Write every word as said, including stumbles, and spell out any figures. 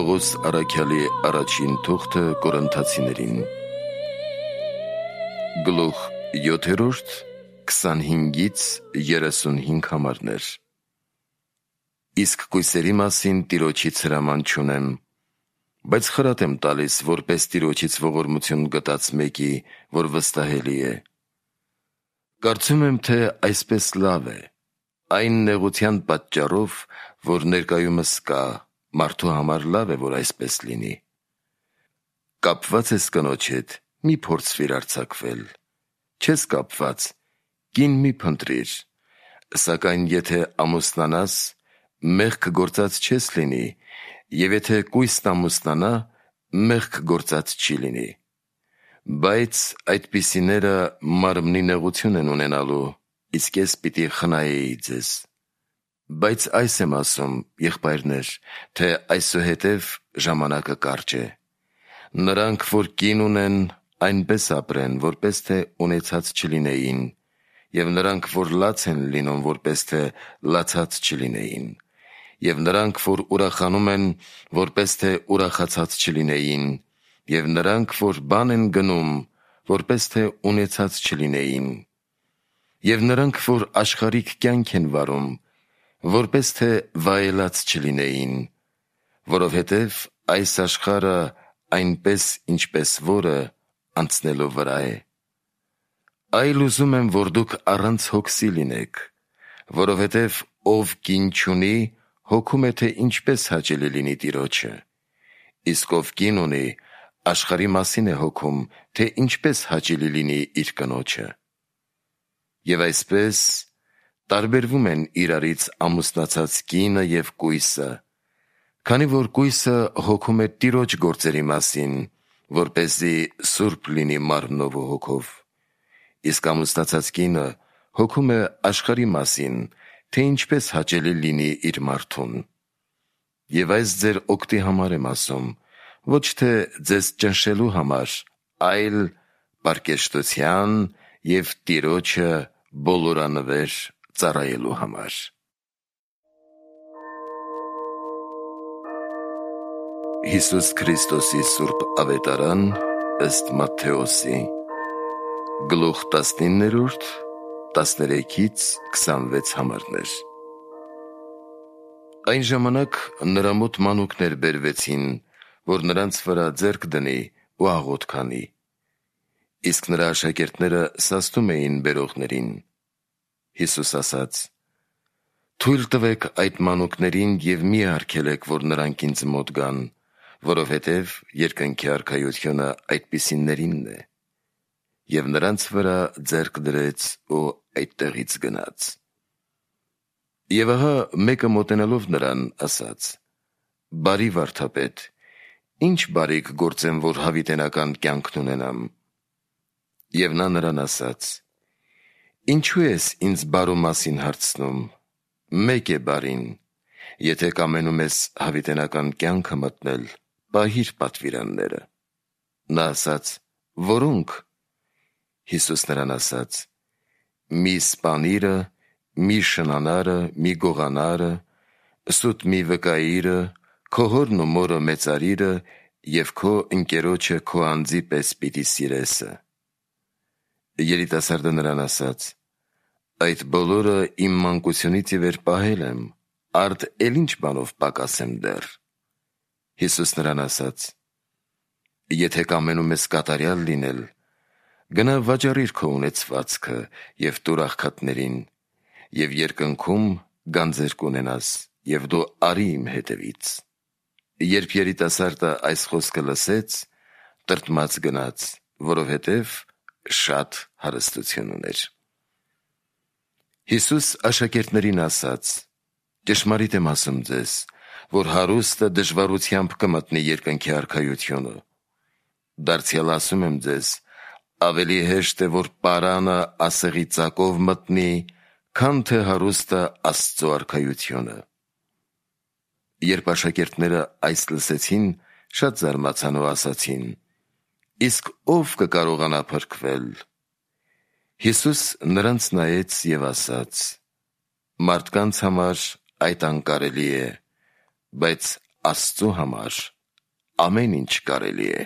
Պողոս առաքյալի առաջին թուղթը Կորինթացիներին Գլուխ յոթերորդ քսանհինգից երեսունհինգ համարներ Իսկ կույսերի մասին Տիրոջից հրաման չունեմ, բայց խրատ եմ տալիս, որպես Տիրոջից ողորմություն գտած մեկի, որ վստահելի է։ Կարծում եմ, թե այսպես լավ է, այն նեղության պատճառով, որ ներկայումս կա, մարդու համար լավ է, որ այսպես լինի։ Կապված ես կնոջ հետ, մի փորձվիր արձակվել, չես կապված, կին մի փնտրիր, սակայն եթե ամուսնանաս, մեղք գործած չես լինի, և եթե կույսն ամուսնանա, մեղք գործած չի լինի։ Բայց այդպիսիները մարմնի նեղություն են ունենալու, իսկ ես պիտի խնայեի ձեզ։ Բայց այս եմ ասում, եղբայրներ, թե այսուհետև ժամանակը կարճ է։ Նրանք, որ կին ունեն, այնպես ապրեն, որպես թե ունեցած չլինեին, և նրանք, որ լաց են լինում, որպես թե լացած չլինեին, և նրանք, որ ուրախանում են, որպես թե ուրախացած չլինեին, և նրանք, որ բան են գնում, որպես թե ունեցած չլինեին, և նրանք, որ աշխարհիկ կյանք են վարում, որպես թե վայելած չլինեին, որովհետև այս աշխարհը այնպես, ինչպես որը անցնելու վրա է։ Այլ ուզում եմ, որ դուք առանց հոգսի լինեք, որովհետև ով կին չունի, հոգում է, թե ինչպես հաճելի լինի Տիրոջը, իսկ ով կին ունի, աշխարհի մասին է հոգում, թե ինչպես հաճելի լինի իր կնոջը։ Եվ այսպես տարբերվում են իրարից ամուսնացած կինը և կույսը, քանի որ կույսը հոգում է Տիրոջ գործերի մասին, որպեսզի սուրբ լինի մարմնով ու հոգով, իսկ ամուսնացած կինը հոգում է աշխարհի մասին, թե ինչպես հաճելի լինի իր մարդուն։ Եվ այս ձեր օգտի համար եմ ասում, ոչ թե ձեզ ճնշելու համար, այլ պարկեշտության և Տիրոջը բոլորանվեր ծառայելու համար։ Հիսուս Քրիստոսի սուրբ ավետարան ըստ Մատթեոսի Գլուխ տասնիններորդ տասներեքից քսանվեց համարներ Այն ժամանակ նրա մոտ մանուկներ բերվեցին, որ նրանց վրա ձեռք դնի ու աղոթ քանի, իսկ նրա աշակերտները սաստում էին բերողներին։ Հիսուս ասաց. «Թույլ տվեք այդ մանուկներին և մի արգելեք, որ նրանք ինձ մոտ գան, որովհետև երկնքի արքայությունը այդպիսիներինն է։ Եվ նրանց վրա ձեռք դրեց ու այդտեղից գնաց։ Եվ ահա մեկը մոտենալով նրան ասաց. «Բարի վարդապետ, ի՞նչ բարիք գործեմ, որ հավիտենական կյանքն ունենամ»։ Եվ նա նրան ասաց. «Ինչու ես ինձ բարու մասին հարցնում, մեկ է բարին, եթե կամենում ես հավիտենական կյանքը մտնել, պահիր պատվիրանները»։ Նա ասաց. «Որո՞նք»։ Հիսուս նրան ասաց. «Մի սպանիրը, մի շնանարը, մի գողանարը, սուտ մի վկայիրը, քո հորն ու մորը մեծարիրը և քո ընկերոջը քո անձի պես պիտի սիրեսը»։ Երիտասարդը նրան ասաց. «Այդ բոլորը իմ մանկությունից ի վեր պահել եմ, արդ էլ ի՞նչ բանով պակասեմ դեռ»։ Հիսուս նրան ասաց. «Եթե կամենում ես կատարյալ լինել, գնա վաճառիր քո ունեցվածքը և տուր աղքատներին, և երկնքում գանձեր կունենաս, և դու արի իմ հետևից»։ Երբ երիտասարդը այս խոսքը լսեց, տրտմած գնաց, որովհետև շատ հարստություն ուներ։ Հիսուս աշակերտներին ասաց. «Ճշմարիտ եմ ասում ձեզ, որ հարուստը դժվարությամբ կմտնի երկնքի արքայությունը։ Դարձյալ ասում եմ ձեզ, ավելի հեշտ է, որ պարանը ասեղի ծակով մտնի, քան թե հարուստը Աստծո արքայությունը»։ Երբ աշակերտները այս լսեցին, շատ զարմացան ու ասացին. «Իսկ ո՞վ կկարողանա փրկվել»։ Հիսուս նրանց նայեց և ասաց. «Մարդկանց համար այդ անկարելի է, բայց Աստծու համար ամեն ինչ կարելի է։